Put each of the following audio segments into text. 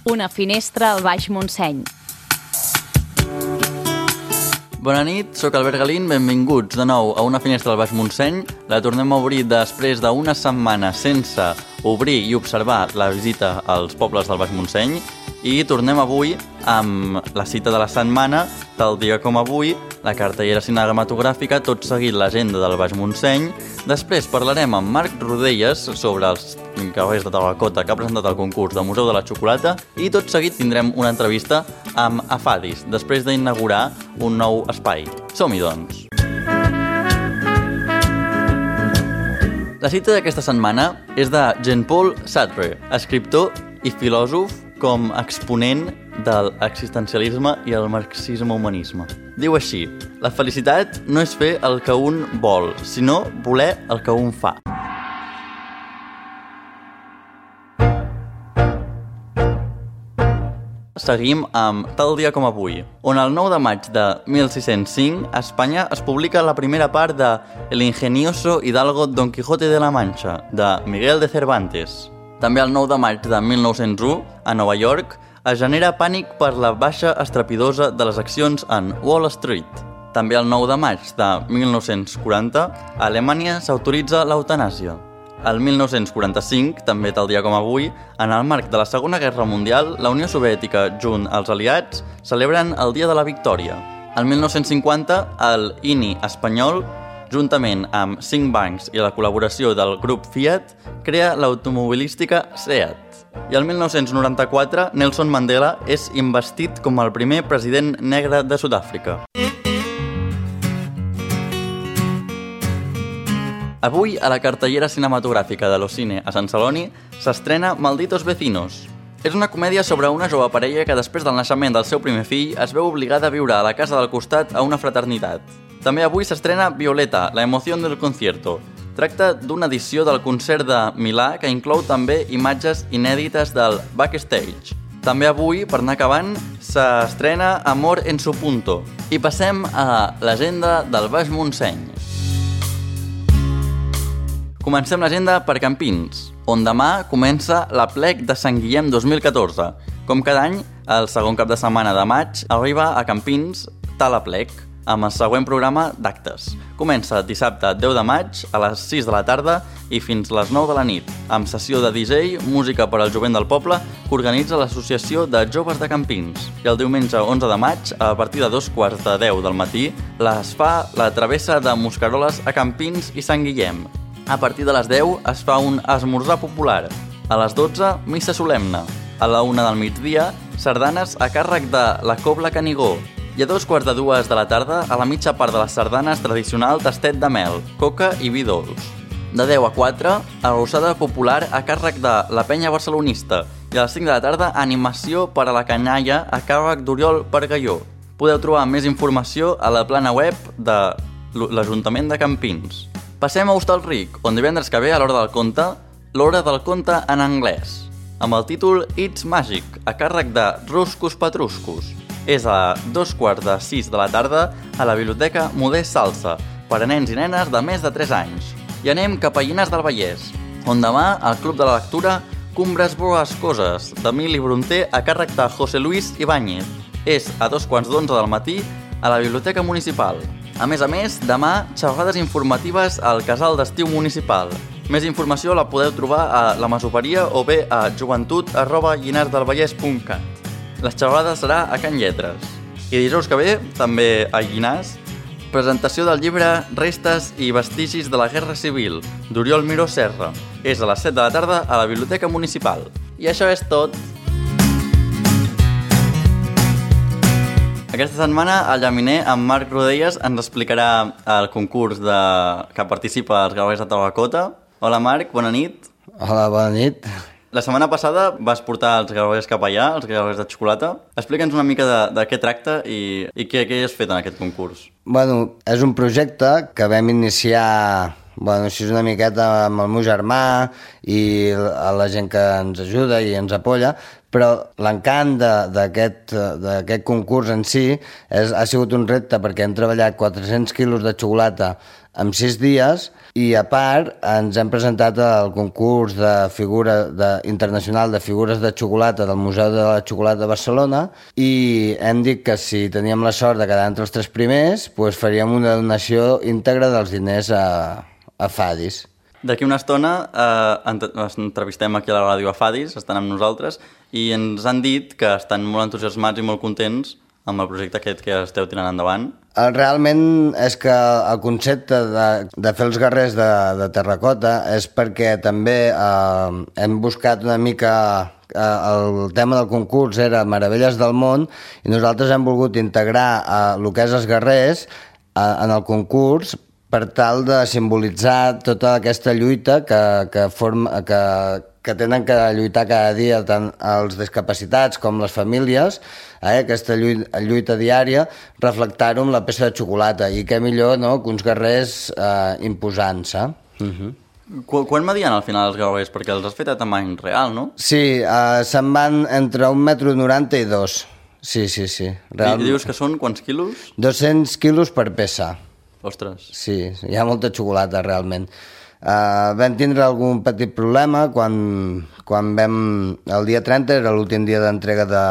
Una finestra al Baix Montseny. Bona nit, sóc Albert Galín, benvinguts de nou a Una finestra al Baix Montseny. La tornem a obrir després d'una setmana sense obrir i observar la visita als pobles del Baix Montseny i tornem avui amb la cita de la setmana, tal dia com avui, la cartellera cinematogràfica, tot seguit l'agenda del Baix Montseny. Després parlarem amb Marc Rodelles sobre els Cavallers de Terracota que ha presentat el concurs del Museu de la Xocolata i tot seguit tindrem una entrevista amb Afadis, després d'inaugurar un nou espai. Som-hi, doncs! La cita d'aquesta setmana és de Jean-Paul Sartre, escriptor i filòsof com exponent de l'existencialisme i el marxisme-humanisme. Diu així: la felicitat no és fer el que un vol, sinó voler el que un fa. Seguim amb Tal dia com avui, on el 9 de maig de 1605 a Espanya es publica la primera part de El ingenioso hidalgo Don Quijote de la Mancha, de Miguel de Cervantes. També el 9 de maig de 1901, a Nova York, es genera pànic per la baixa estrapidosa de les accions en Wall Street. També el 9 de maig de 1940, a Alemanya s'autoritza l'eutanàsia. El 1945, també tal dia com avui, en el marc de la Segona Guerra Mundial, la Unió Soviètica, junt als aliats, celebren el Dia de la Victòria. El 1950, el INI espanyol, juntament amb 5 bancs i la col·laboració del grup Fiat, crea l'automobilística SEAT. I el 1994, Nelson Mandela és investit com el primer president negre de Sud-àfrica. Avui, a la cartellera cinematogràfica de l'Ocine a Sant Celoni, s'estrena Malditos Vecinos. És una comèdia sobre una jove parella que després del naixement del seu primer fill es veu obligada a viure a la casa del costat a una fraternitat. També avui s'estrena Violeta, la emoción del concierto. Tracta d'una edició del concert de Milà que inclou també imatges inèdites del backstage. També avui, per anar acabant, s'estrena Amor en su punto. I passem a l'agenda del Baix Montseny. Comencem l'agenda per Campins, on demà comença l'Aplec de Sant Guillem 2014. Com cada any, el segon cap de setmana de maig arriba a Campins tal Aplec, amb el següent programa d'actes. Comença dissabte 10 de maig a les 6 de la tarda i fins les 9 de la nit, amb sessió de DJ, música per al jovent del poble, que organitza l'Associació de Joves de Campins. I el diumenge 11 de maig, a partir de 2:45 del matí, es fa la travessa de Mosqueroles a Campins i Sant Guillem. A partir de les 10 es fa un esmorzar popular. A les 12, missa solemne. A la 1 del migdia, sardanes a càrrec de la Cobla Canigó. I a 2:45 de la tarda, a la mitja part de les sardanes tradicional tastet de mel, coca i vi dolç. De 10 a 4, arrossada popular a càrrec de la penya barcelonista. I a les 5 de la tarda, animació per a la canalla a càrrec d'Oriol Pargalló. Podeu trobar més informació a la plana web de l'Ajuntament de Campins. Passem a Hostalric, on divendres que ve, a l'hora del conte, l'hora del conte en anglès, amb el títol It's Magic, a càrrec de Ruscus Patruscus. És a 2:45 de la tarda a la Biblioteca Modest Salsa, per a nens i nenes de més de 3 anys. I anem cap a Llinars del Vallès, on demà al Club de la Lectura Cumbres Borrascoses, d'Emili Brunter, a càrrec de José Luis Ibáñez. És a 2:11 del matí a la Biblioteca Municipal. A més, demà, xerrades informatives al Casal d'Estiu Municipal. Més informació la podeu trobar a la Masoveria o bé a joventut@llinarsdelvallès.cat. La xerrada serà a Can Lletres. I dijous que ve, també a Llinars, presentació del llibre Restes i vestigis de la Guerra Civil, d'Oriol Miró Serra. És a les 7 de la tarda a la Biblioteca Municipal. I això és tot. Aquesta setmana, al Llaminer, en Marc Rodelles ens explicarà el concurs que participa als Cavallers de Terracota. Hola, Marc, bona nit. Hola, bona nit. La setmana passada vas portar els Cavallers cap allà, els Cavallers de Xocolata. Explica'ns una mica de què tracta i què has fet en aquest concurs. Bueno, és un projecte que vam iniciar, així una miqueta amb el meu germà i la gent que ens ajuda i ens apoya, Però l'encant d'aquest concurs en si ha sigut un repte perquè hem treballat 400 quilos de xocolata en 6 dies i, a part, ens hem presentat al concurs internacional de figures de xocolata del Museu de la Xocolata de Barcelona i hem dit que si teníem la sort de quedar entre els 3 primers, doncs faríem una donació íntegra dels diners a Fadis. D'aquí una estona entrevistem aquí a la ràdio a Fadis, estan amb nosaltres, i ens han dit que estan molt entusiasmats i molt contents amb el projecte aquest que esteu tirant endavant. Realment és que el concepte de fer els guerrers de terracota és perquè també hem buscat una mica... El tema del concurs era Meravelles del món i nosaltres hem volgut integrar el que és els guerrers en el concurs per tal de simbolitzar tota aquesta lluita que tenen que lluitar cada dia tant els discapacitats com les famílies, aquesta lluita diària, reflectar-ho amb la peça de xocolata. I què millor, no?, que uns guerrers imposant-se. Quan medien al final els guerrers? Perquè els has fet a tamany real, no? Sí, se'n van entre 1,90 m i 2. Sí. I dius que són quants quilos? 200 quilos per peça. Ostres. Sí, hi ha molta xocolata, realment. Vam tindre algun petit problema quan vam... El dia 30 era l'últim dia d'entrega de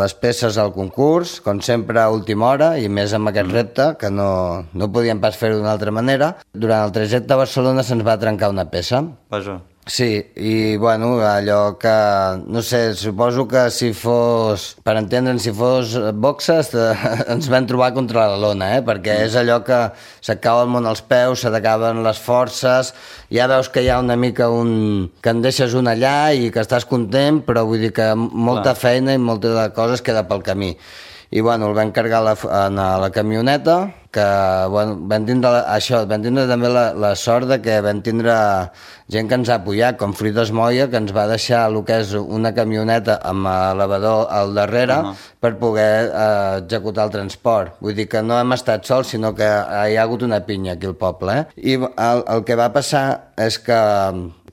les peces al concurs, com sempre a última hora, i més amb aquest repte, que no podíem pas fer-ho d'una altra manera. Durant el trajecte a Barcelona se'ns va trencar una peça. Vaja. Sí, i bueno, allò que, no sé, suposo que si fos, per entendre'n, si fos boxes, ens vam trobar contra la lona, perquè és allò que se't cau el món als peus, se t'acaben les forces, ja veus que hi ha una mica que en deixes un allà i que estàs content, però vull dir que molta feina i molta de coses queda pel camí. I bueno, el vam carregar a la camioneta, que bueno, vam tindre també la sort de que vam tindre gent que ens ha apoyat, com Frides Moya, que ens va deixar el que és una camioneta amb elevador al darrere per poder executar el transport. Vull dir que no hem estat sols, sinó que hi ha hagut una pinya aquí al poble. I el que va passar és que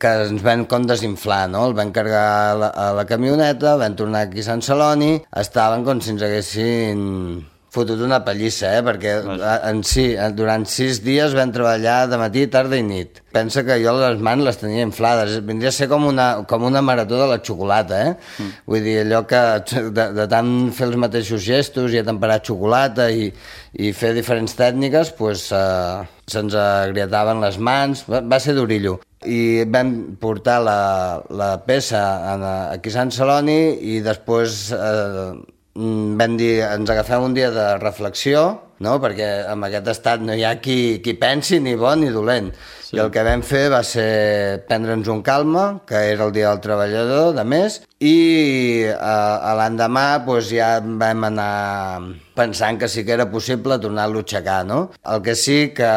ens vam com desinflar, no? El vam carregar a la camioneta, vam tornar aquí a Sant Celoni, estaven com si ens haguessin fotut una pallissa, perquè durant 6 dies vam treballar de matí, tarda i nit. Pensa que jo les mans les tenia inflades, vindria a ser com una marató de la xocolata, Vull dir, allò que de tant fer els mateixos gestos i atemperar xocolata i fer diferents tècniques, se'ns agrietaven les mans, va ser durillo. I vam portar la peça aquí a Sant Celoni i després vam dir, ens agafem un dia de reflexió, no? Perquè en aquest estat no hi ha qui pensi ni bo ni dolent. Sí. I el que vam fer va ser prendre'ns un calma, que era el dia del treballador, de més, i l'endemà ja vam anar pensant que sí que era possible tornar-lo a aixecar, no? El que sí que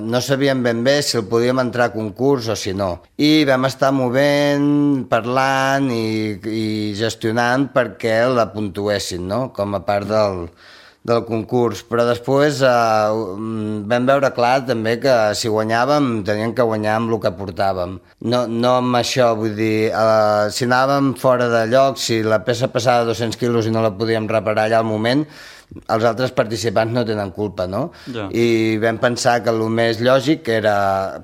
no sabíem ben bé si el podíem entrar a concurs o si no. I vam estar movent, parlant i gestionant perquè la puntuessin, no? Com a part del concurs, però després vam veure clar també que si guanyàvem teníem que guanyar amb el que portàvem. No amb això, vull dir, si anàvem fora de lloc, si la peça passava 200 quilos i no la podíem reparar allà al moment, els altres participants no tenen culpa, no? Ja. I vam pensar que el més lògic era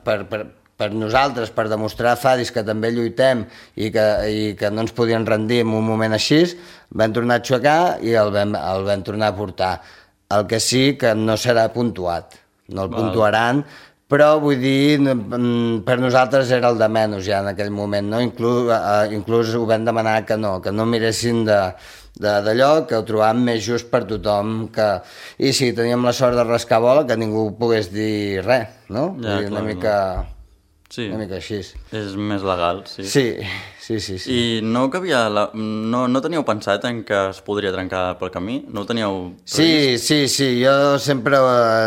per nosaltres, per demostrar a Fadis que també lluitem i que no ens podien rendir en un moment així, vam tornar a aixecar i el vam tornar a portar. El que sí que no serà puntuat, no el puntuaran, però vull dir, per nosaltres era el de menys ja en aquell moment, no? Inclús ho vam demanar que no miressin d'allò, que ho trobàvem més just per tothom, i sí, teníem la sort de rascar bola, que ningú pogués dir res, no? Ja, una mica... Sí. Una mica així. És més legal, sí. Sí. I no teníeu pensat en que es podria trencar pel camí? No ho teníeu previst? Sí. Jo sempre,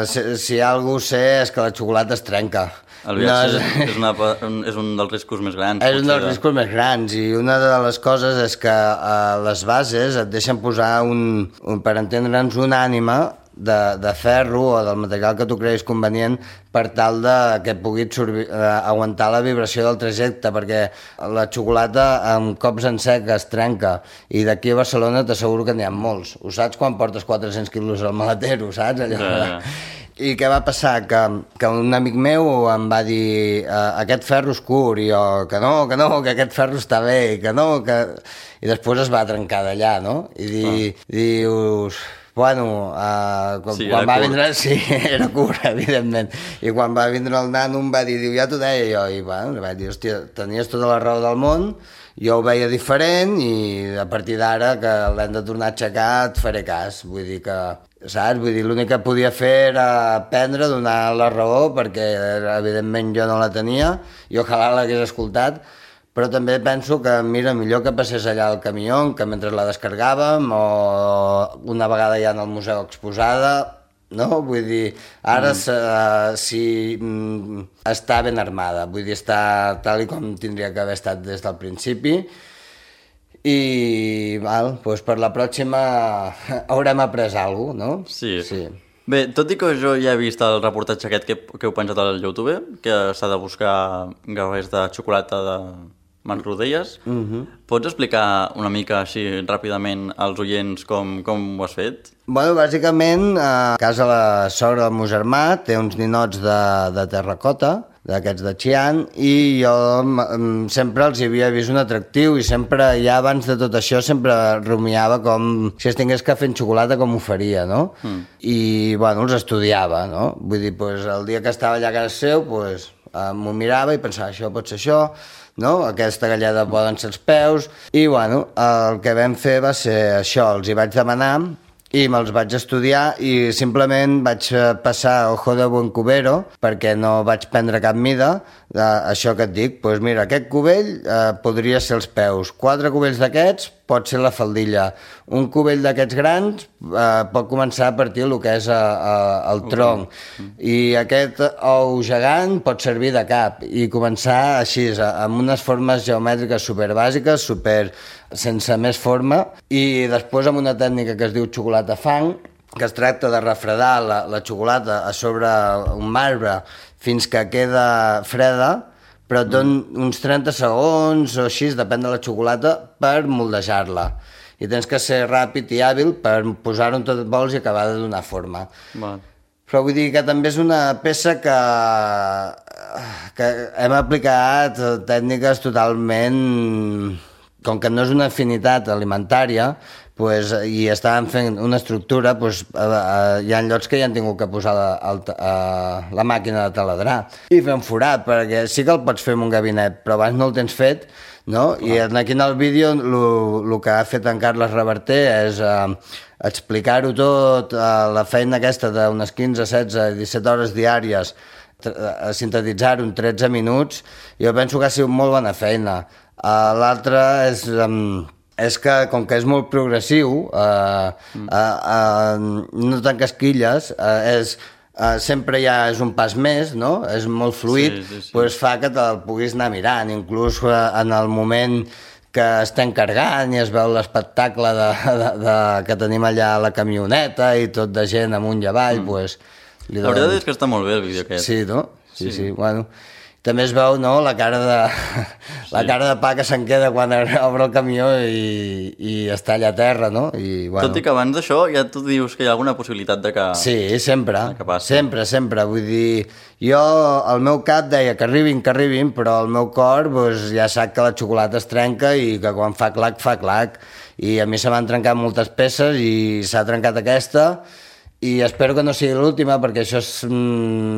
si algú sé, és que la xocolata es trenca. El viatge és un dels riscos més grans. És un dels riscos més grans i una de les coses és que a les bases et deixen posar, per entendre'ns, una ànima de ferro o del material que tu creguis convenient per tal que pugui aguantar la vibració del trajecte, perquè la xocolata amb cops en sec es trenca, i d'aquí a Barcelona t'asseguro que n'hi ha molts. Ho saps quan portes 400 quilos al maletero, saps? Allò. I què va passar? Que un amic meu em va dir aquest ferro és curt, i jo, que no, que aquest ferro està bé, que no, que... I després es va trencar d'allà, no? I dius... Bueno, quan va vindre... Sí, era curt, evidentment. I quan va vindre el nano em va dir, ja t'ho deia jo, i bueno, vaig dir, hòstia, tenies tota la raó del món, jo ho veia diferent i a partir d'ara que l'hem de tornar a aixecar et faré cas. Vull dir que, saps? Vull dir, l'únic que podia fer era aprendre, donar la raó, perquè evidentment jo no la tenia i ojalà l'hagués escoltat, però també penso que, mira, millor que passés allà al camió, que mentre la descargàvem, o una vegada ja en el museu exposada, no? Vull dir, ara sí, està ben armada, vull dir, està tal i com tindria que haver estat des del principi, i doncs per la pròxima haurem après alguna cosa, no? Sí. Bé, tot i que jo ja he vist el reportatge aquest que heu penjat al YouTube, que s'ha de buscar garrers de xocolata de Marc Rodelles, pots explicar una mica així ràpidament als oients com ho has fet? Bueno, bàsicament, a casa la sogra del meu germà té uns ninots de terracota, d'aquests de Xi'an, i jo sempre els hi havia vist un atractiu i sempre, ja abans de tot això, sempre rumiava com si es tingués que fer en xocolata com ho faria, no? I, bueno, els estudiava, no? Vull dir, pues, el dia que estava allà a casa seu, pues, m'ho mirava i pensava, això pot ser això, no? Aquesta galleda poden ser els peus, i, bueno, el que vam fer va ser això, els hi vaig demanar i me'ls vaig estudiar i simplement vaig passar ojo de buen cubero perquè no vaig prendre cap mida. Això que et dic, doncs mira, aquest cubell podria ser els peus, 4 cubells d'aquests pot ser la faldilla, un cubell d'aquests grans pot començar a partir el que és el tronc, i aquest ou gegant pot servir de cap, i començar així, amb unes formes geomètriques superbàsiques, sense més forma, i després amb una tècnica que es diu xocolata fang, que es tracta de refredar la xocolata a sobre un marbre fins que queda freda, però et don uns 30 segons o així, depèn de la xocolata, per moldejar-la. I tens que ser ràpid i hàbil per posar-ho on tot et vols i acabar de donar forma. Però vull dir que també és una peça que hem aplicat tècniques totalment... Com que no és una afinitat alimentària, i estàvem fent una estructura, hi ha llocs que hi han tingut que posar la màquina de taladrar i fer un forat, perquè sí que el pots fer en un gabinet, però abans no el tens fet, no? I aquí en el vídeo el que ha fet en Carles Reverter és explicar-ho tot, la feina aquesta d'unes 15, 16, 17 hores diàries, sintetitzar-ho en 13 minuts. Jo penso que ha sigut molt bona feina. L'altre és que, com que és molt progressiu, no tan casquilles, sempre ja és un pas més, no? És molt fluid, doncs fa que te'l puguis anar mirant, inclús en el moment que estem carregant i es veu l'espectacle que tenim allà a la camioneta i tot de gent amunt i avall, doncs... La veritat és que està molt bé el vídeo aquest. Sí, no? Sí, bueno... També es veu, no?, la cara de pa que se'n queda quan obre el camió i està allà a terra, no? Tot i que abans d'això ja tu dius que hi ha alguna possibilitat de que... Sí, sempre. Vull dir, jo, el meu cap deia que arribin, però el meu cor ja sap que la xocolata es trenca i que quan fa clac, fa clac. I a mi se m'han trencat moltes peces i s'ha trencat aquesta, i espero que no sigui l'última, perquè això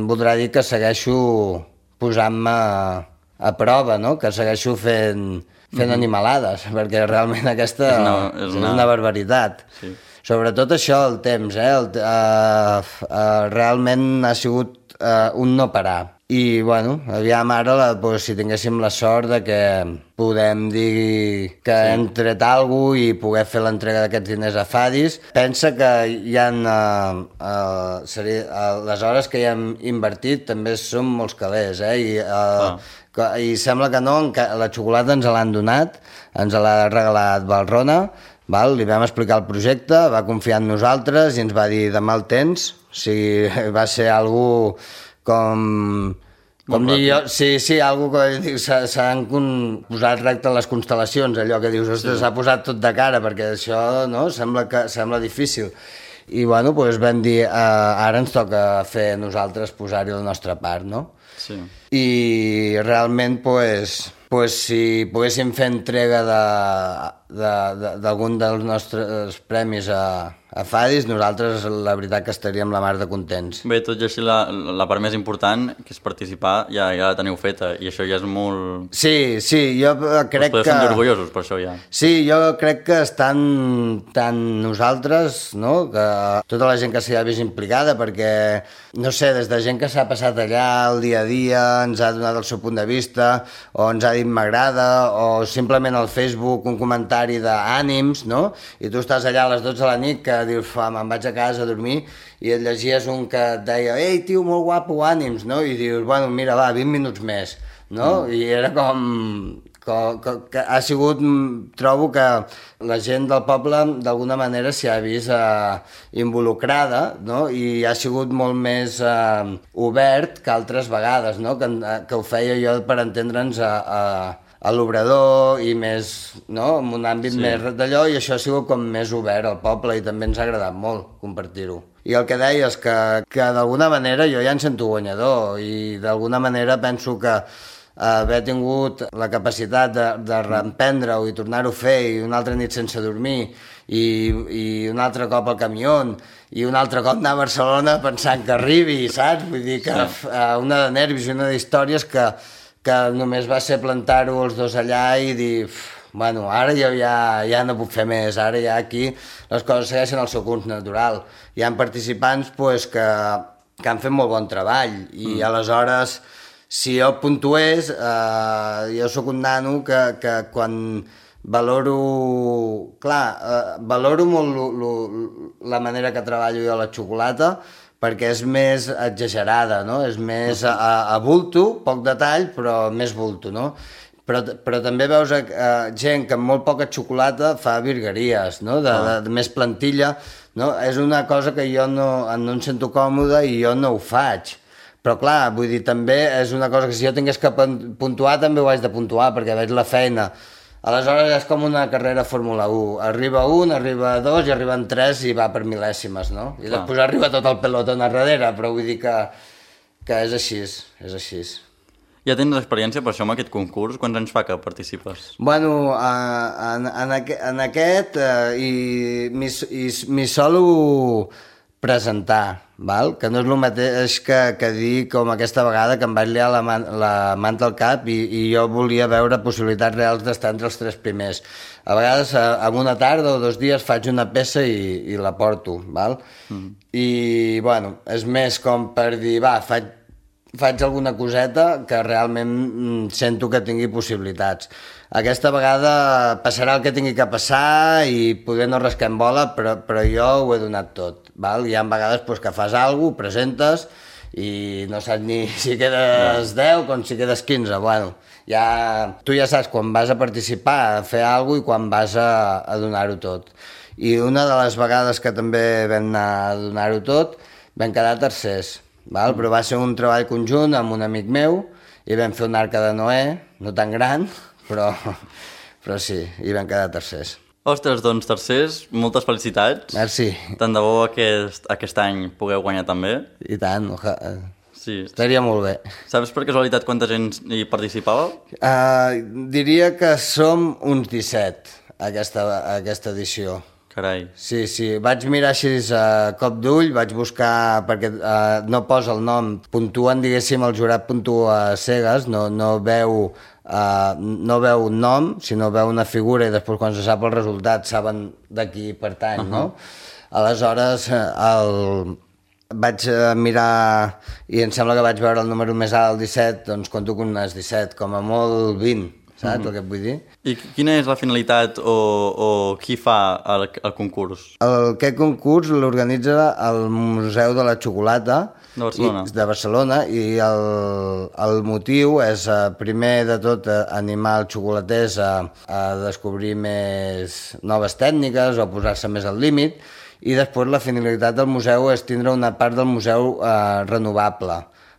voldrà dir que segueixo posant-me a prova, no? Que segueixo fent animalades, perquè realment aquesta és una barbaritat. Sobretot això, el temps, realment ha sigut un no parar. I, bueno, aviam ara, si tinguéssim la sort de que podem dir que hem tret alguna cosa i poder fer l'entrega d'aquests diners a Fadis. Pensa que hi ha... les hores que hi hem invertit també són molts calés, i sembla que no, la xocolata ens l'han donat, ens l'ha regalat Valrona, Val? Li vam explicar el projecte, va confiar en nosaltres i ens va dir demà el tens. O sigui, va ser algú com dic jo, sí, algú que s'han posat recte les constel·lacions, allò que dius, ostres, s'ha posat tot de cara, perquè això no sembla difícil. I bueno, doncs vam dir, ara ens toca fer nosaltres posar-hi la nostra part, no? Sí. I realment, doncs, si poguéssim fer entrega d'algun dels nostres premis a Fadis, nosaltres la veritat que estaríem la mar de contents. Bé, tot i així la part més important, que és participar, ja la teniu feta, i això ja és molt... Sí, jo crec que... Us podeu sentir orgullosos per això ja. Sí, jo crec que estan tant nosaltres, no?, que tota la gent que s'hi ha vist implicada, perquè, no sé, des de gent que s'ha passat allà el dia a dia, ens ha donat el seu punt de vista, o ens ha dit m'agrada, o simplement al Facebook un comentari d'ànims, no?, i tu estàs allà a les 12 de la nit que dius, me'n vaig a casa a dormir, i et llegies un que et deia, ei, tio, molt guapo, ànims, no?, i dius, bueno, mira, va, 20 minuts més, no?, i era com que ha sigut, trobo que la gent del poble d'alguna manera s'hi ha vist involucrada, no?, i ha sigut molt més obert que altres vegades, no?, que ho feia jo per entendre'ns a l'obrador i més, no?, en un àmbit més d'allò, i això ha sigut com més obert al poble i també ens ha agradat molt compartir-ho. I el que deies, que d'alguna manera jo ja em sento guanyador i d'alguna manera penso que haver tingut la capacitat de reemprendre-ho i tornar-ho a fer i una altra nit sense dormir i un altre cop al camió i un altre cop anar a Barcelona pensant que arribi, saps? Vull dir que una de nervis i una d'històries que només va ser plantar-ho els dos allà i dir, bueno, ara jo ja no puc fer més, ara ja aquí les coses segueixen el seu curs natural. Hi ha participants que han fet molt bon treball i aleshores, si jo puntués, jo sóc un nano que quan valoro, valoro molt la manera que treballo jo a la xocolata, perquè és més exagerada, no? És més a bulto, poc detall, però més bulto, no? Però també veus gent que amb molt poca xocolata fa virgueries, no? De més plantilla, no? És una cosa que jo no em sento còmode i jo no ho faig. Però clar, vull dir, també és una cosa que si jo tingués que puntuar també ho haig de puntuar, perquè veig la feina. Aleshores és com una carrera Fórmula 1. Arriba un, arriba dos i arriben tres i va per mil·lèsimes, no? I després arriba tot el pelotón a darrere, però vull dir que és així, és així. Ja tens experiència per això amb aquest concurs? Quants anys fa que participes? Bueno, en aquest m'hi solo presentar, val? Que no és el mateix que dir com aquesta vegada que em vaig liar la manta al cap i jo volia veure possibilitats reals d'estar entre els tres primers. A vegades, en una tarda o 2 dies, faig una peça i la porto, val? I, bueno, és més com per dir, va, faig alguna coseta que realment sento que tingui possibilitats. Aquesta vegada passarà el que tingui que passar i poder no rascar en bola, però jo ho he donat tot. Val? Hi ha vegades que fas alguna cosa, presentes i no saps ni si quedes 10 com si quedes 15. Bueno, tu ja saps quan vas a participar, a fer alguna cosa i quan vas a donar-ho tot. I una de les vegades que també vam anar a donar-ho tot, vam quedar tercers. Val? Però va ser un treball conjunt amb un amic meu i vam fer un arca de Noé, no tan gran, però sí, i vam quedar tercers. Ostres, doncs tercers, moltes felicitats. Merci. Tant de bo aquest any pugueu guanyar també. I tant, sí. Estaria molt bé. Saps per casualitat quanta gent hi participava? Diria que som uns 17 aquesta edició. Carai. Sí, vaig mirar així a cop d'ull, vaig buscar, perquè no posa el nom, puntuen, diguéssim, el jurat puntua a cegues, no veu un nom, sinó veu una figura i després quan se sap el resultat saben de qui pertany, no? Aleshores, vaig mirar i em sembla que vaig veure el número més alt, el 17, doncs conto que unes 17, com a molt 20. saps el que et vull dir? I quina és la finalitat o qui fa el concurs? Aquest concurs l'organitza el Museu de la Xocolata De Barcelona i el motiu és, primer de tot, animar els xocolaters a descobrir més noves tècniques o posar-se més al límit, i després la finalitat del museu és tindre una part del museu renovable,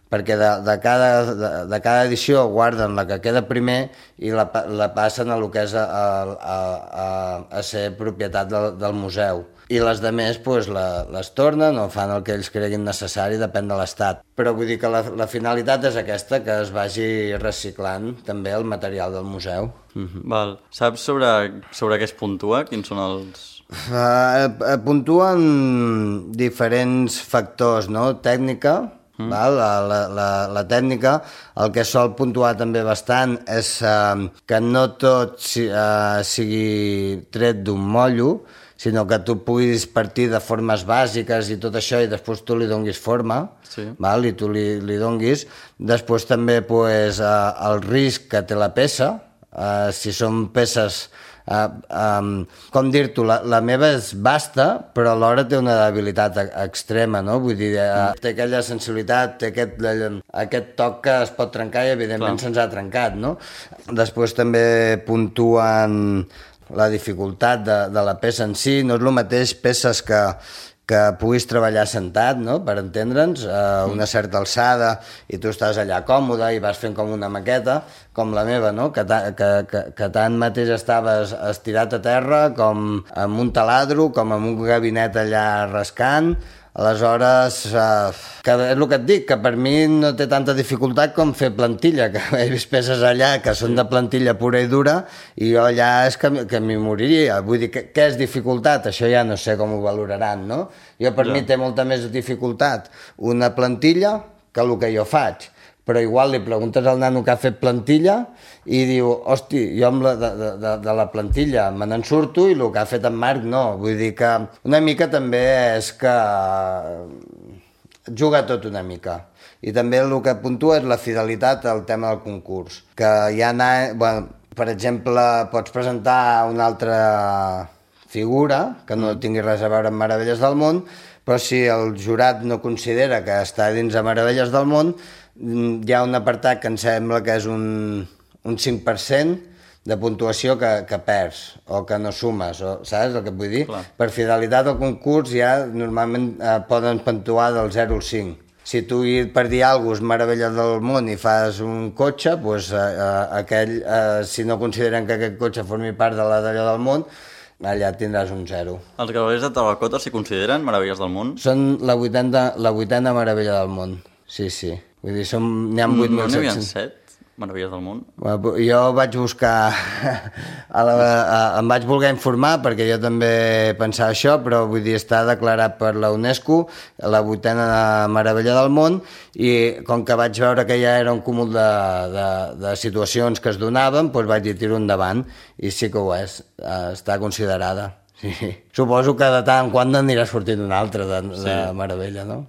perquè de cada edició guarden la que queda primer i la passen a lo que és a ser propietat del museu. I les demés pues, les tornen o fan el que ells creguin necessari, depèn de l'estat. Però vull dir que la finalitat és aquesta, que es vagi reciclant també el material del museu. Val. Saps sobre què es puntua? Quins són els... Puntuen diferents factors, no? Tècnica, val? La tècnica, el que sol puntuar també bastant és que no tot sigui tret d'un mollo, sinó que tu puguis partir de formes bàsiques i tot això i després tu li donguis forma, val? I tu li donguis. Després també pues, el risc que té la peça, si són peces... com dir-t'ho, la meva és vasta, però alhora té una debilitat extrema, no? Vull dir, té aquella sensibilitat, té aquest toc que es pot trencar i evidentment se'ns ha trencat, no? Després també puntuen la dificultat de la peça en si, no és el mateix peces que puguis treballar sentat, no? Per entendre'ns, a una certa alçada, i tu estàs allà còmode i vas fent com una maqueta, com la meva, no? Que tant mateix estaves estirat a terra, com amb un taladro, com amb un gabinet allà rascant. Aleshores, que és el que et dic, que per mi no té tanta dificultat com fer plantilla, que he vist peces allà que són de plantilla pura i dura, i jo allà és que m'hi moriria. Vull dir, què és dificultat? Això ja no sé com ho valoraran, no? Jo per mi té molta més dificultat una plantilla que el que jo faig. Però igual li preguntes al nano que ha fet plantilla i diu, hosti, jo amb de la plantilla me n'en surto i el que ha fet en Marc no. Vull dir que una mica també és que juga tot una mica. I també el que puntua és la fidelitat al tema del concurs. Que ja per exemple, pots presentar una altra figura que no tingui res a veure amb Meravelles del món, però si el jurat no considera que està dins de Meravelles del món, hi ha un apartat que em sembla que és un 5% de puntuació que perds o que no sumes, saps el que et vull dir? Clar. Per fidelitat al concurs ja normalment poden puntuar del 0 al 5. Si tu per dir alguna cosa és meravella del món i fas un cotxe, doncs si no consideren que aquest cotxe formi part de la d'allò del món, allà tindràs un 0. Els gravers de terracota s'hi consideren meravelles del món? Són la vuitena meravella del món, sí. Vull dir, n'hi ha 8.700. No n'hi havia 7 meravelles del món? Jo vaig buscar... em vaig voler informar perquè jo també pensava això, però vull dir, està declarat per la UNESCO la 8a meravella del món, i com que vaig veure que ja era un cúmul de situacions que es donaven, doncs vaig dir tiro endavant, i sí que ho és, està considerada. Sí. Suposo que de tant en quant n'anirà sortint una altra de meravella, no?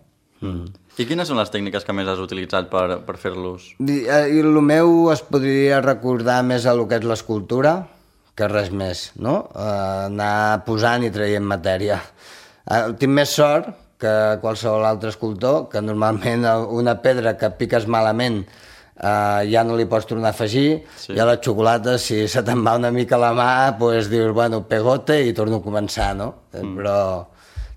I quines són les tècniques que més has utilitzat per fer-los? I el meu es podria recordar més a lo que és l'escultura que res més, no? Anar posant i traient matèria. Tinc més sort que qualsevol altre escultor, que normalment una pedra que piques malament ja no li pots tornar a afegir, i a la xocolata, si se te'n va una mica la mà, doncs dius, bueno, pegote i torno a començar, no? Però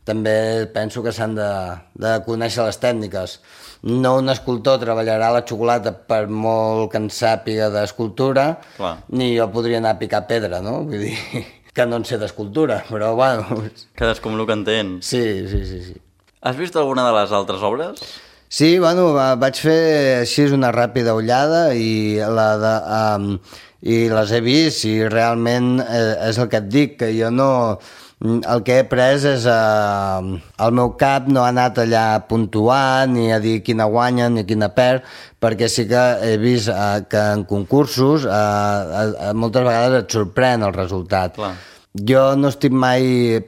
també penso que s'han de conèixer les tècniques. No un escultor treballarà la xocolata per molt que en sàpiga d'escultura, ni jo podria anar a picar pedra, no? Vull dir que no en sé d'escultura, però bueno... Cadascú amb el que entén. Sí. Has vist alguna de les altres obres? Sí, bueno, vaig fer així una ràpida ullada i les he vist, i realment és el que et dic, que jo no... El que he pres és... El meu cap no ha anat allà a puntuar, ni a dir quina guanya ni quina perd, perquè sí que he vist que en concursos moltes vegades et sorprèn el resultat. Clar. Jo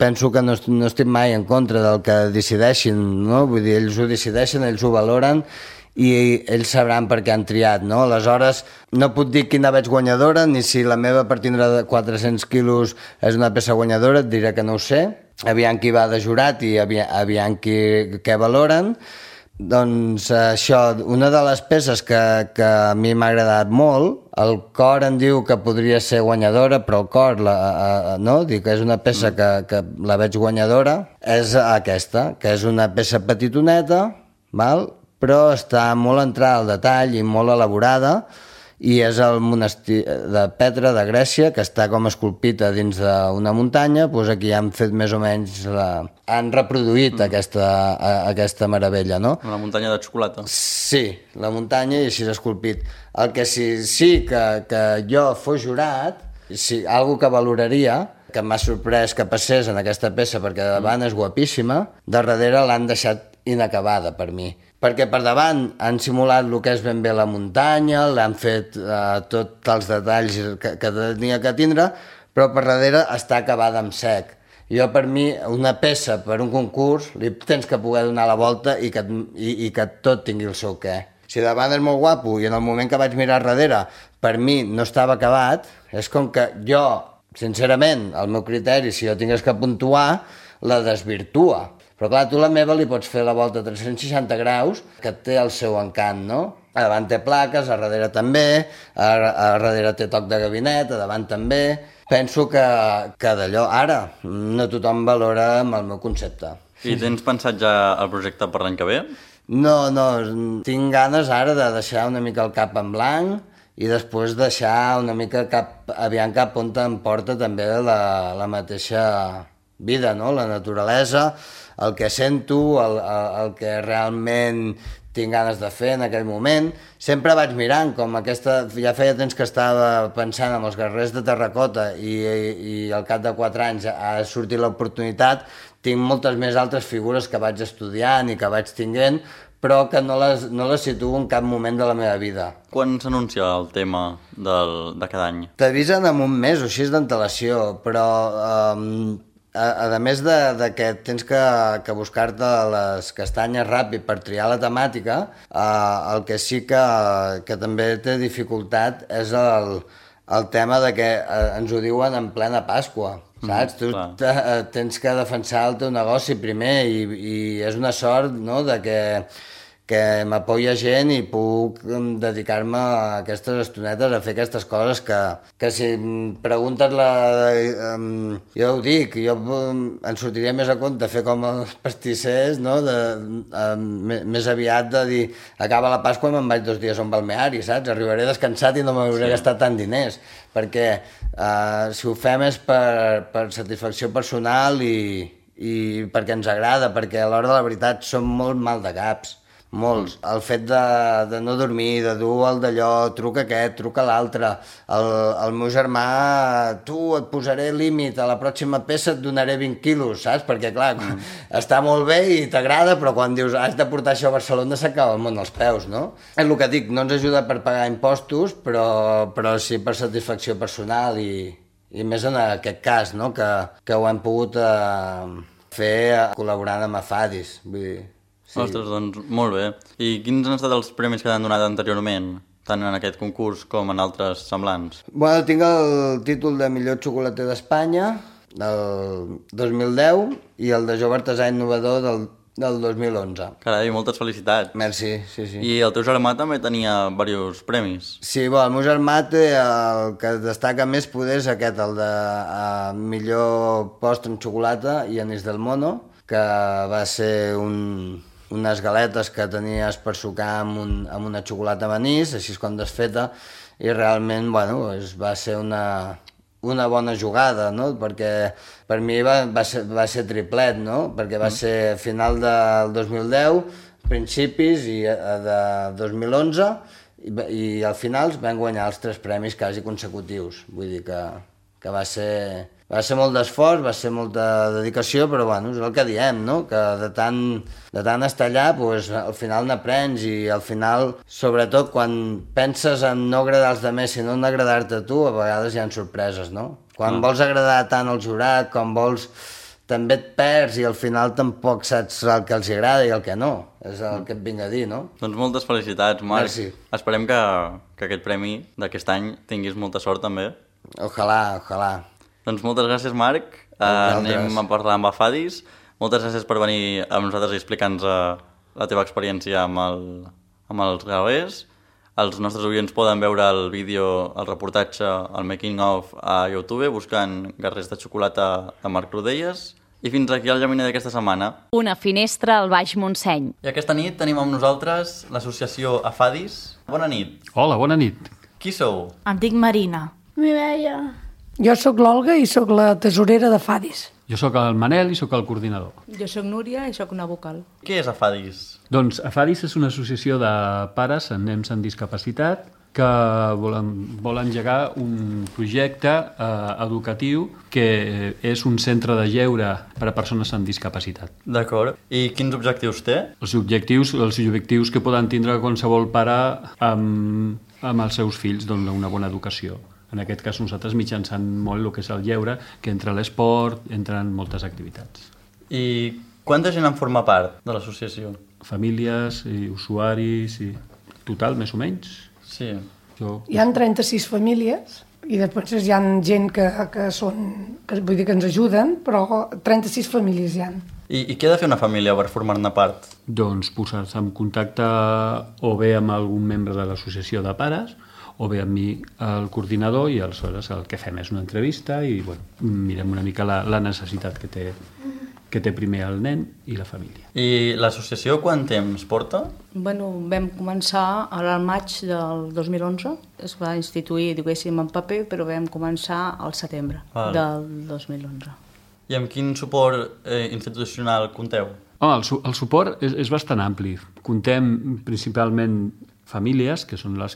penso que no estic mai en contra del que decideixin, no? Vull dir, ells ho decideixen, ells ho valoren, i ells sabran per què han triat, no? Aleshores, no puc dir quina veig guanyadora, ni si la meva per tindre de 400 quilos és una peça guanyadora, et diré que no ho sé. Aviam qui va de jurat i aviam què valoren. Doncs això, una de les peces que a mi m'ha agradat molt, el cor em diu que podria ser guanyadora, però el cor, no? Dic que és una peça que la veig guanyadora, és aquesta, que és una peça petitoneta, val? Però està molt entrada al detall i molt elaborada, i és el monestir de Petra, de Grècia, que està com esculpit dins d'una muntanya. Doncs aquí han fet més o menys han reproduït aquesta meravella, no? Una muntanya de xocolata. Sí, la muntanya i així esculpit. El que sí que jo fos jurat, algo que valoraria, que m'ha sorprès que passés en aquesta peça, perquè de davant és guapíssima, de darrere l'han deixat inacabada per mi. Perquè per davant han simulat el que és ben bé la muntanya, l'han fet tots els detalls que tenia que tindre, però per darrere està acabada amb sec. Jo, per mi, una peça per un concurs, li tens que poder donar la volta i que tot tingui el seu què. Si davant és molt guapo i en el moment que vaig mirar darrere per mi no estava acabat, és com que jo, sincerament, el meu criteri, si jo tingués que puntuar, la desvirtua. Però clar, tu la meva li pots fer la volta a 360 graus, que té el seu encant, no? A davant té plaques, a darrere també, a darrere té toc de gabinet, a davant també. Penso que d'allò, ara, no tothom valora amb el meu concepte. I tens pensat ja el projecte per l'any que ve? No, tinc ganes ara de deixar una mica el cap en blanc i després deixar una mica aviam cap on em porta també la mateixa vida, no? La naturalesa, el que sento, el que realment tinc ganes de fer en aquell moment. Sempre vaig mirant com aquesta... Ja feia temps que estava pensant en els guerrers de terracota i al cap de 4 anys ha sortit l'oportunitat. Tinc moltes més altres figures que vaig estudiant i que vaig tinguent, però que no les situo en cap moment de la meva vida. Quan s'anuncia el tema de cada any? T'avisen en un mes o així d'antelació, però... A més de que tens que buscar-te les castanyes ràpid per triar la temàtica, el que sí que també té dificultat és el tema de que ens ho diuen en plena Pasqua, saps? Tu tens que defensar el teu negoci primer i és una sort, no?, de que m'apoya gent i puc dedicar-me a aquestes estonetes a fer aquestes coses que si em preguntes jo ho dic, jo em sortiria més a compte fer com els pastissers, no? Més aviat de dir acaba la Pasqua i me'n vaig 2 dies a un balneari, saps? Arribaré descansat i no m'hauré gastat tant diners, perquè si ho fem és per satisfacció personal i perquè ens agrada, perquè a l'hora de la veritat som molt mal de caps. Molts. El fet de no dormir, de dur el d'allò, truca aquest, truca l'altre. El meu germà, tu et posaré límit, a la pròxima peça et donaré 20 quilos, saps? Perquè, clar, està molt bé i t'agrada, però quan dius has de portar això a Barcelona s'acaba el món als peus, no? És el que dic, no ens ajuda per pagar impostos, però sí per satisfacció personal i més en aquest cas, no? Que ho hem pogut fer col·laborant amb Afadis, vull dir... Sí. Ostres, doncs molt bé. I quins han estat els premis que t'han donat anteriorment, tant en aquest concurs com en altres semblants? Bueno, tinc el títol de millor xocolater d'Espanya del 2010 i el de jove artesà innovador del 2011. Carai, moltes felicitats. Merci, sí. I el teu germà també tenia diversos premis. Sí, el meu germà té el que destaca més poder és aquest, el de millor postre en xocolata i anís del mono, que va ser unes galetes que tenies per sucar amb una xocolata amb anís, així com desfeta, i realment, bueno, va ser una bona jugada, no? Perquè per mi va ser triplet, no? Perquè va ser final del 2010, principis de 2011, i al final vam guanyar els 3 premis quasi consecutius. Vull dir que va ser molt d'esforç, va ser molta dedicació, però bueno, és el que diem, no? Que de tant estar allà, pues, al final n'aprens i al final, sobretot quan penses en no agradar als altres, sinó en agradar-te a tu, a vegades hi ha sorpreses, no? Quan vols agradar tant al jurat, quan vols també et perds i al final tampoc saps el que els agrada i el que no. És el que et vinc a dir, no? Doncs moltes felicitats, Marc. Merci. Esperem que aquest premi d'aquest any tinguis molta sort també. Ojalà. Doncs moltes gràcies, Marc. Anem a parlar amb Afadis. Moltes gràcies per venir amb nosaltres i explicar-nos la teva experiència amb els gravers. Els nostres oients poden veure el vídeo, el reportatge, el making of a YouTube buscant Guerrers de xocolata de Marc Rodelles. I fins aquí el Llaminer d'aquesta setmana. Una finestra al Baix Montseny. I aquesta nit tenim amb nosaltres l'associació Afadis. Bona nit. Hola, bona nit. Qui sou? Em dic Marina. Mireia. Jo sóc l'Olga i sóc la tesorera de Fadis. Jo sóc el Manel i sóc el coordinador. Jo sóc Núria i sóc una vocal. Què és Afadis? Doncs Afadis és una associació de pares amb nens amb discapacitat que vol engegar un projecte educatiu que és un centre de lleure per a persones amb discapacitat. D'acord. I quins objectius té? Els objectius que poden tindre qualsevol pare amb els seus fills, doncs una bona educació. En aquest cas nosaltres mitjançant molt el que és el lleure, que entra l'esport, entren moltes activitats. I quanta gent en forma part de l'associació? Famílies i usuaris i total, més o menys. Sí. Hi ha 36 famílies i després hi ha gent que vull dir que ens ajuden, però 36 famílies hi ha. I què ha de fer una família per formar-ne part? Doncs posar-se en contacte o bé amb algun membre de l'associació de pares o bé amb mi, el coordinador, i aleshores el que fem és una entrevista i mirem una mica la necessitat que té primer el nen i la família. I l'associació quant temps porta? Vam començar al maig del 2011, es va instituir, diguéssim, en paper, però vam començar al setembre del 2011. I amb quin suport institucional compteu? El suport és bastant ampli. Contem principalment famílies, que són les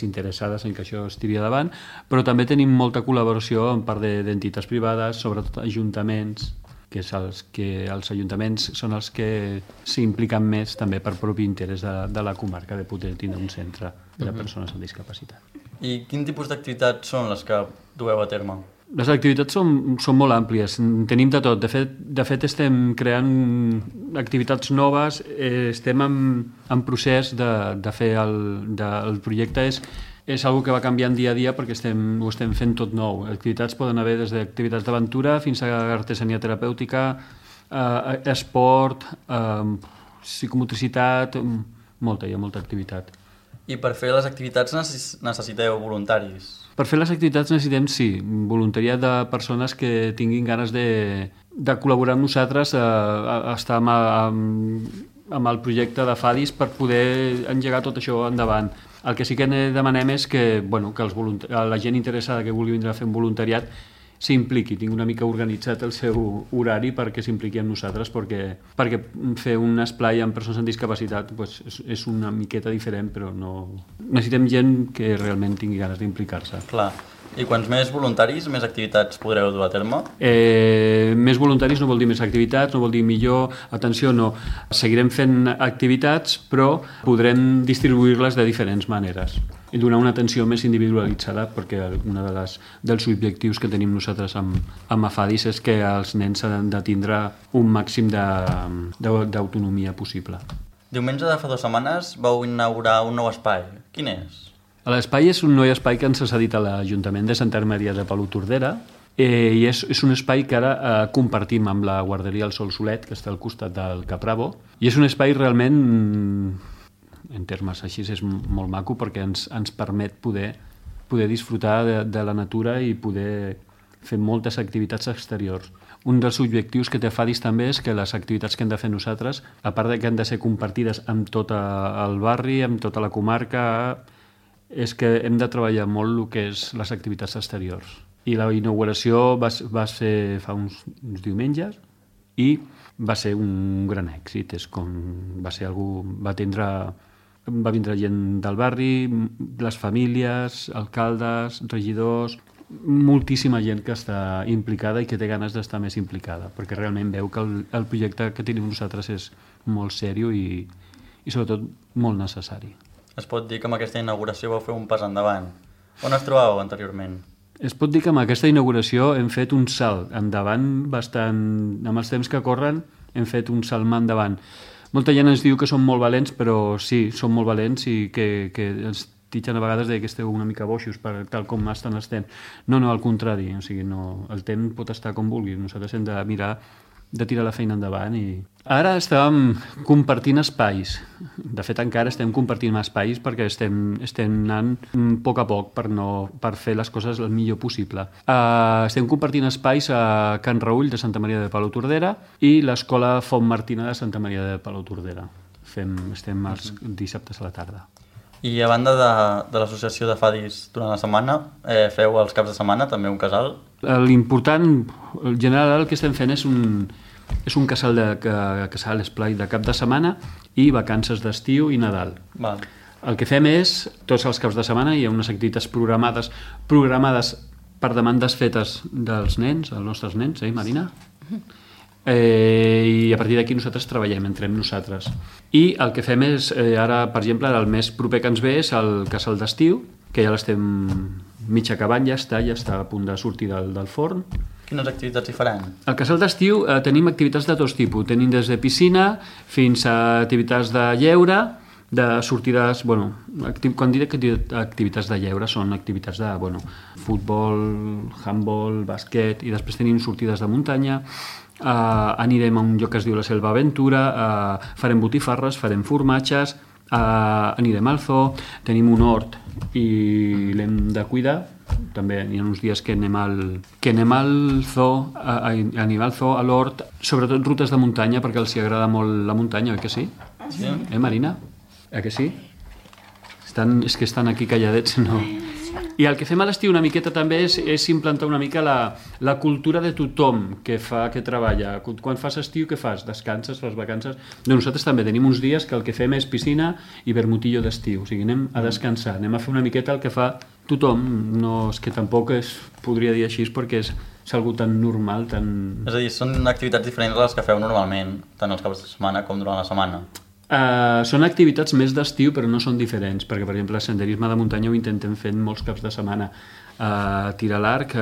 interessades en que això es tiri davant, però també tenim molta col·laboració en part d'entitats privades, sobretot ajuntaments, que els ajuntaments són els que s'impliquen més també per propi interès de la comarca de poder tindre un centre per a persones amb discapacitat. I quin tipus d'activitats són les que dueu a terme? Les activitats són molt àmplies, tenim de tot. De fet estem creant activitats noves, estem en procés de fer el projecte. És una que va canviant dia a dia perquè ho estem fent tot nou. Activitats poden haver des d'activitats d'aventura fins a artesania terapèutica, esport, psicomotricitat, hi ha molta activitat. I per fer les activitats necessiteu voluntaris? Per fer les activitats necessitem, sí, voluntariat de persones que tinguin ganes de col·laborar amb nosaltres, estar amb el projecte de Fadis per poder engegar tot això endavant. El que sí que demanem és que la gent interessada que vulgui vindre a fer un voluntariat s'impliqui, tingui una mica organitzat el seu horari perquè s'impliqui amb nosaltres, perquè fer un esplai amb persones amb discapacitat és una miqueta diferent, però necessitem gent que realment tingui ganes d'implicar-se. Clar. I quants més voluntaris, més activitats podreu dur a terme? Més voluntaris no vol dir més activitats, no vol dir millor. Atenció, no. Seguirem fent activitats, però podrem distribuir-les de diferents maneres i donar una atenció més individualitzada, perquè un dels objectius que tenim nosaltres amb Afadis és que els nens han de tindre un màxim d'autonomia possible. Diumenge de fa 2 setmanes vau inaugurar un nou espai. Quin és? L'espai és un nou espai que ens ha cedit a l'Ajuntament de Santa Maria de Palautordera i és un espai que ara compartim amb la guarderia El Sol Solet, que està al costat del Capravo, i és un espai realment, en termes així, és molt maco perquè ens permet poder disfrutar de la natura i poder fer moltes activitats exteriors. Un dels objectius que té Fadis també és que les activitats que hem de fer nosaltres, a part de que han de ser compartides amb tot el barri, amb tota la comarca, és que hem de treballar molt el que és les activitats exteriors. I la inauguració va ser fa uns diumenges i va ser un gran èxit. Va vindre gent del barri, les famílies, alcaldes, regidors, moltíssima gent que està implicada i que té ganes d'estar més implicada, perquè realment veu que el projecte que tenim nosaltres és molt seriós i sobretot molt necessari. Es pot dir que amb aquesta inauguració vau fer un pas endavant. On es trobàveu anteriorment? Es pot dir que amb aquesta inauguració hem fet un salt endavant bastant... Amb els temps que corren hem fet un salt endavant. Molta gent ens diu que som molt valents, però sí, som molt valents i que ens titxen a vegades que esteu una mica boixos per tal com estan els temps. No, al contrari, o sigui, no, el temps pot estar com vulgui. Nosaltres hem de mirar de tirar la feina endavant i... Ara estàvem compartint espais. De fet, encara estem compartint espais perquè estem anant a poc per fer les coses el millor possible. Estem compartint espais a Can Raüll de Santa Maria de Palautordera i l'Escola Font Martina de Santa Maria de Palautordera. Estem els dissabtes a la tarda. I a banda de l'associació de fadis durant la setmana, feu els caps de setmana també un casal? L'important, en general, el que estem fent és un casal esplai de cap de setmana i vacances d'estiu i Nadal. Val. El que fem és, tots els caps de setmana hi ha unes activitats programades per demandes fetes dels nens, els nostres nens, Marina? I a partir d'aquí nosaltres treballem, entrem nosaltres. I el que fem és, ara, per exemple, el més proper que ens ve és el casal d'estiu, que ja l'estem mig acabant, ja està a punt de sortir del forn. Quines activitats hi faran? Al casal d'estiu tenim activitats de tots tipus. Tenim des de piscina fins a activitats de lleure, de sortides... quan diré que activitats de lleure són activitats de futbol, handball, bàsquet, i després tenim sortides de muntanya, anirem a un lloc que es diu la Selva Aventura, farem botifarres, farem formatges, anirem al zoo, tenim un hort i l'hem de cuidar. També hi ha uns dies que anem al zoo, a l'hort, sobretot rutes de muntanya, perquè els agrada molt la muntanya, oi que sí? Sí. Marina? Que sí? És que estan aquí calladets, no? I el que fem a l'estiu una miqueta també és implantar una mica la cultura de tothom que treballa. Quan fas estiu, què fas? Descanses, fas vacances? Nosaltres també tenim uns dies que el que fem és piscina i vermutillo d'estiu. O sigui, anem a descansar, anem a fer una miqueta el que fa tothom. No, és que tampoc es podria dir així perquè és algo tan normal, tan... És a dir, són activitats diferents a les que feu normalment, tant els caps de setmana com durant la setmana. Són activitats més d'estiu, però no són diferents, perquè, per exemple, el senderisme de muntanya ho intentem fer molts caps de setmana. Tirar l'arc,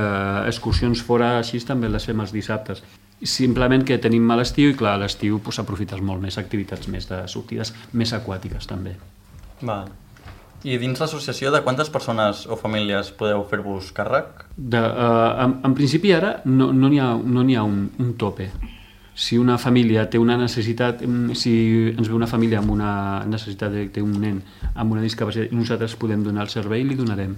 excursions fora, així també les fem els dissabtes. Simplement que tenim mal estiu i, clar, a l'estiu s'aprofites molt més activitats més de sortides, més aquàtiques, també. Val. I dins l'associació, de quantes persones o famílies podeu fer-vos càrrec? En principi, ara no n'hi ha un tope. Si una família té una necessitat, si ens ve una família amb una necessitat de té un nen amb una discapacitat, nosaltres podem donar el servei i li donarem.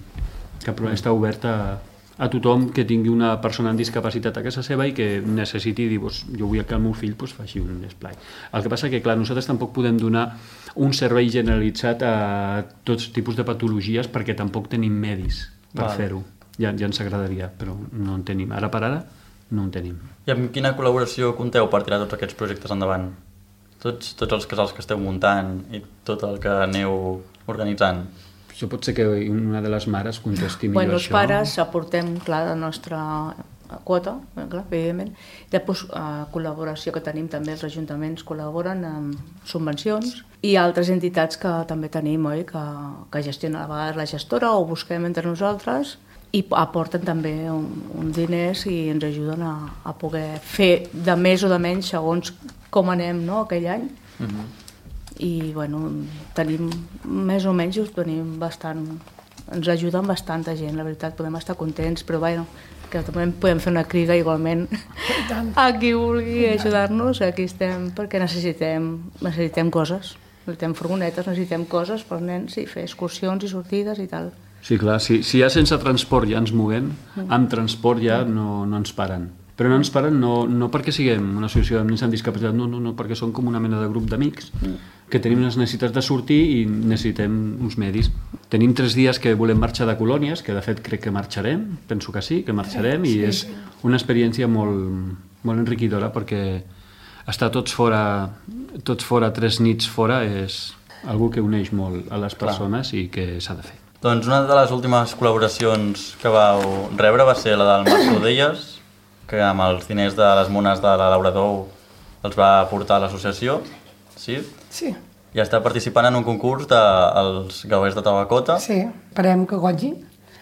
Està obert a tothom que tingui una persona amb discapacitat a casa seva i que necessiti dir, jo vull que el meu fill faci un esplai. El que passa que, clar, nosaltres tampoc podem donar un servei generalitzat a tots tipus de patologies perquè tampoc tenim medis per fer-ho. Ja ens agradaria, però no en tenim. Ara per ara no en tenim. I amb quina col·laboració compteu per tirar tots aquests projectes endavant? Tots els casals que esteu muntant i tot el que aneu organitzant? Això pot ser que una de les mares contesti millor això. Els pares aportem, clar, la nostra quota, clar, evidentment. Després, col·laboració que tenim també, els ajuntaments col·laboren amb subvencions i altres entitats que també tenim, oi? Que gestionen a vegades la gestora o busquem entre nosaltres i aporten també uns diners i ens ajuden a poder fer de més o de menys segons com anem, no?, aquell any. I, tenim més o menys, tenim bastant, ens ajuden bastanta gent, la veritat, podem estar contents, però, que també podem fer una crida igualment a qui vulgui ajudar-nos, aquí estem perquè necessitem coses, necessitem furgonetes, necessitem coses pels nens i fer excursions i sortides i tal. Sí, clar, si ja sense transport ja ens movem, amb transport ja no ens paren. Però no ens paren no perquè siguem una associació de nens amb discapacitat, no, perquè som com una mena de grup d'amics que tenim unes necessitats de sortir i necessitem uns medis. Tenim 3 dies que volem marxar de colònies, que de fet crec que marxarem, penso que sí, que marxarem, i és una experiència molt enriquidora perquè estar tots fora 3 nits fora és algo que uneix molt a les persones i que s'ha de fer. Doncs una de les últimes col·laboracions que vau rebre va ser la del Marc Rodelles, que amb els diners de les mones de la Laura Dou els va portar a l'associació, sí? Sí. I està participant en un concurs dels Gauers de Tabacota. Sí, esperem que guanyi,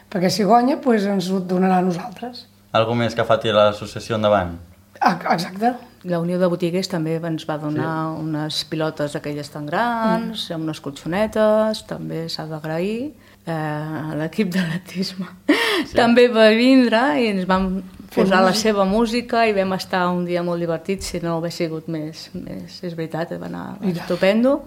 perquè si guanya ens ho donarà a nosaltres. Algo més que faci l'associació endavant? Exacte. La Unió de Botiguers també ens va donar unes pilotes aquelles tan grans, unes colxonetes, també s'ha d'agrair. L'equip d'atletisme també va vindre i ens vam posar la seva música i vam estar un dia molt divertit, si no hagués sigut més és veritat, va anar estupendo.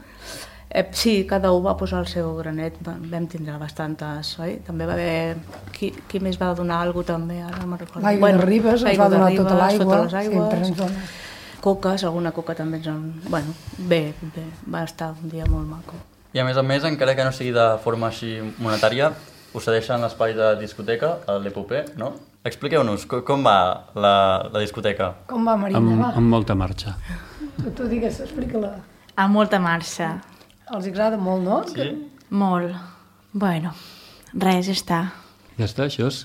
Sí, cada un va posar el seu granet, vam tindre bastantes, oi? També va haver... Qui més va donar alguna cosa també? Ara no me'n recordo. L'aigua de Ribes ens va donar tota l'aigua. Sota les aigües. Sempre ens dona. Coques, alguna coca també ens en... Bueno, bé, va estar un dia molt maco. I a més, encara que no sigui de forma així monetària, us cedeixen l'espai de discoteca, l'Epopé, no? Expliqueu-nos, com va la discoteca? Com va, Marina? Amb molta marxa. Tu digues, explica-la. Amb molta marxa. Els agrada molt, no? Sí? Molt. Bueno, res, ja està. Ja està, això és...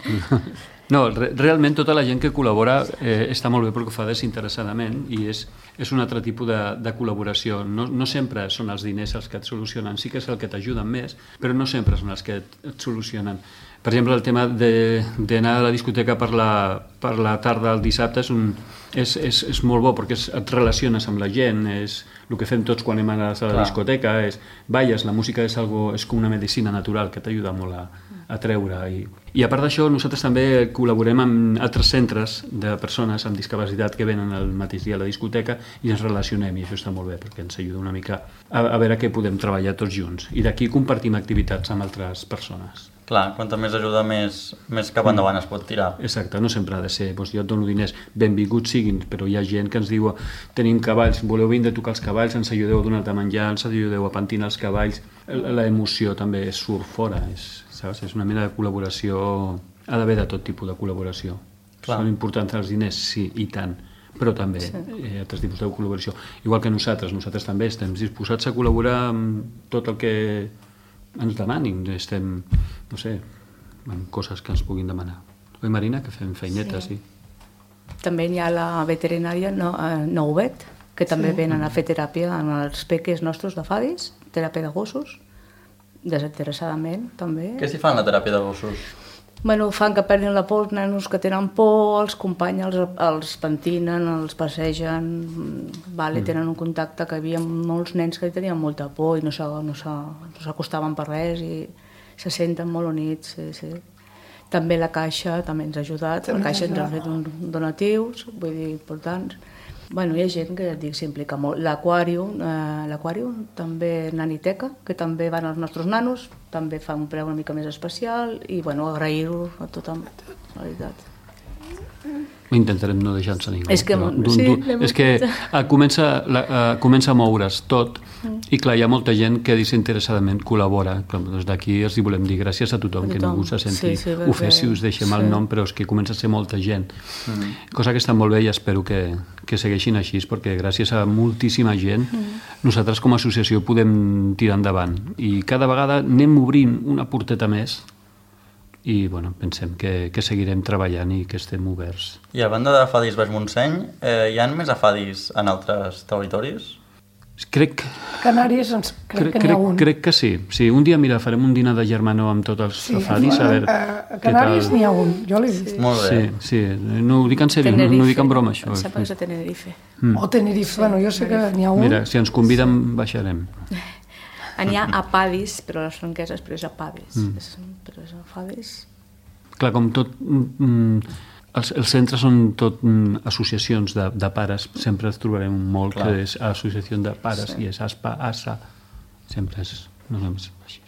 No, realment tota la gent que col·labora està molt bé perquè ho fa desinteressadament i és un altre tipus de col·laboració. No sempre són els diners els que et solucionen, sí que és el que t'ajuden més, però no sempre són els que et solucionen. Per exemple, el tema d'anar a la discoteca per la tarda el dissabte és molt bo perquè et relaciones amb la gent, és el que fem tots quan anem a la discoteca, balles, la música és com una medicina natural que t'ajuda molt a treure. I a part d'això, nosaltres també col·laborem amb altres centres de persones amb discapacitat que venen el mateix dia a la discoteca i ens relacionem, i això està molt bé perquè ens ajuda una mica a veure què podem treballar tots junts. I d'aquí compartim activitats amb altres persones. Clar, quanta més ajuda, més cap endavant es pot tirar. Exacte, no sempre ha de ser, jo et dono diners, benvinguts siguin, però hi ha gent que ens diu tenim cavalls, voleu vindre a tocar els cavalls, ens ajudeu a donar de menjar, ens ajudeu a pentinar els cavalls, l'emoció també surt fora, saps? És una mena de col·laboració, ha d'haver de tot tipus de col·laboració. Clar. Són importants els diners, sí, i tant, però també altres tipus de col·laboració. Igual que nosaltres també estem disposats a col·laborar amb tot el que ens demanin, estem, no sé, amb coses que ens puguin demanar. Oi, Marina, que fem feinetes, sí. També hi ha la veterinària Nouvet, que també venen a fer teràpia en els peques nostres de Fadis, teràpia de gossos, desinteressadament, també. Què s'hi fan la teràpia de gossos? Bueno, fan que perdin la por els nenos que tenen por, els companys els pentinen, els passegen, tenen un contacte, que hi havia molts nens que tenien molta por i no s'acostaven per res i se senten molt units. Sí. També la Caixa també ens ha ajudat, la Caixa ens ha fet donatius, vull dir, importants. Bueno, hi ha gent que, dic, s'implica molt. L'Aquàrium, també Naniteca, que també van als nostres nanos, també fa un preu una mica més especial i, bueno, agrair-ho a tothom, la veritat. Intentarem no deixar-nos a ningú. És que comença a moure's tot i clar, hi ha molta gent que desinteressadament col·labora. Des d'aquí els volem dir gràcies a tothom, que ningú se senti ofès si us deixem el nom, però és que comença a ser molta gent. Cosa que està molt bé i espero que segueixin així, perquè gràcies a moltíssima gent nosaltres com a associació podem tirar endavant. I cada vegada anem obrint una porteta més i bueno, pensem que seguirem treballant i que estem oberts. I a banda de Fadis Baix Montseny, hi ha més afadis en altres territoris? Canàries, crec que n'hi ha un. Crec que sí. Un dia, mira, farem un dinar de germanor amb tots els afadis. A Canàries n'hi ha un, jo l'he vist. Molt bé. Sí, no ho dic en sèrio, no ho dic en broma, això. Em sembla que és a Tenerife. O Tenerife, bueno, jo sé que n'hi ha un. Mira, si ens conviden, baixarem. N'hi ha apadis, però les franqueses, però és apadis. Però és afadis. Clar, com tot... Els centres són tot associacions de pares. Sempre es trobarem molt que és associació de pares i és ASPA, ASA. Sempre és... No és així.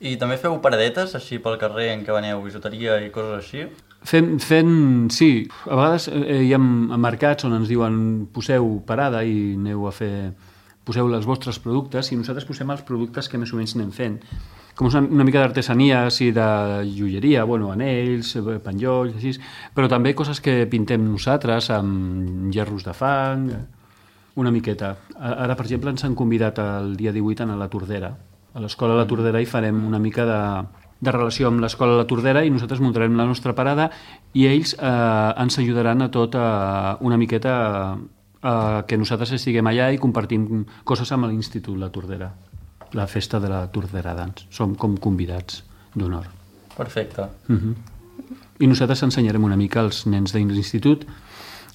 I també feu paradetes, així pel carrer en què veneu bisuteria i coses així? Sí. A vegades hi ha mercats on ens diuen poseu parada i aneu a fer... Poseu els vostres productes i nosaltres posem els productes que més o menys anem fent. Com una mica d'artesania, de joieria, anells, penjolls, així, però també coses que pintem nosaltres amb gerros de fang, una miqueta. Ara, per exemple, ens han convidat el dia 18 a la Tordera. A l'Escola La Tordera hi farem una mica de relació amb l'Escola La Tordera i nosaltres muntarem la nostra parada i ells ens ajudaran a tot una miqueta que nosaltres estiguem allà i compartim coses amb l'Institut La Tordera, la festa de la Tordera Dance. Som com convidats d'honor. Perfecte. I nosaltres ensenyarem una mica als nens de l'institut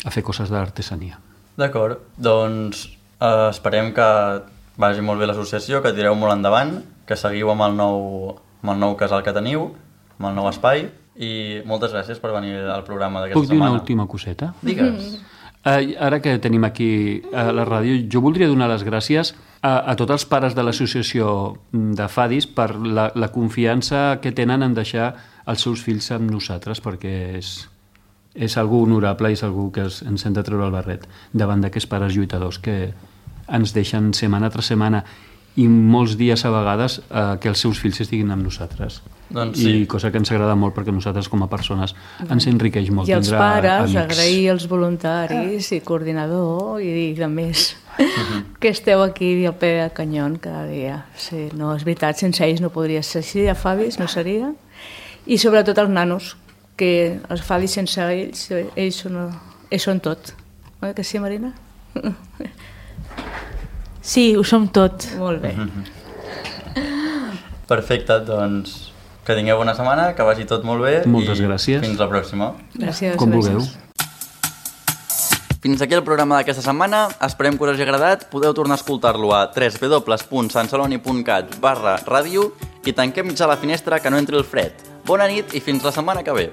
a fer coses d'artesania. D'acord, doncs esperem que vagi molt bé l'associació, que tireu molt endavant, que seguiu amb el nou casal que teniu, amb el nou espai, i moltes gràcies per venir al programa d'aquesta Puc dir setmana. una última coseta? Digues. Ara que tenim aquí a la ràdio, jo voldria donar les gràcies a tots els pares de l'associació de Fadis per la confiança que tenen en deixar els seus fills amb nosaltres, perquè és algú honorable i és algú que ens hem de treure el barret davant d'aquests pares lluitadors que ens deixen setmana tras setmana i molts dies a vegades que els seus fills estiguin amb nosaltres. Doncs sí. I cosa que ens agrada molt perquè nosaltres com a persones ens enriqueix molt. I els tindrà pares, amics. agrair als voluntaris i coordinador i de més que esteu aquí al peu del canyón cada dia. Sí, no, és veritat, sense ells no podria ser així, a Fadis no seria. I sobretot els nanos, que els Fadis sense ells són tot. Oi que sí, Marina? Sí, ho som tot. Molt bé. Perfecte, doncs que tingueu bona setmana, que vagi tot molt bé. Moltes gràcies. Fins la pròxima. Gràcies. Com vulgueu. Fins aquí el programa d'aquesta setmana. Esperem que us hagi agradat. Podeu tornar a escoltar-lo a www.sanceloni.cat/ràdio i tanquem mitjà la finestra que no entri el fred. Bona nit i fins la setmana que ve.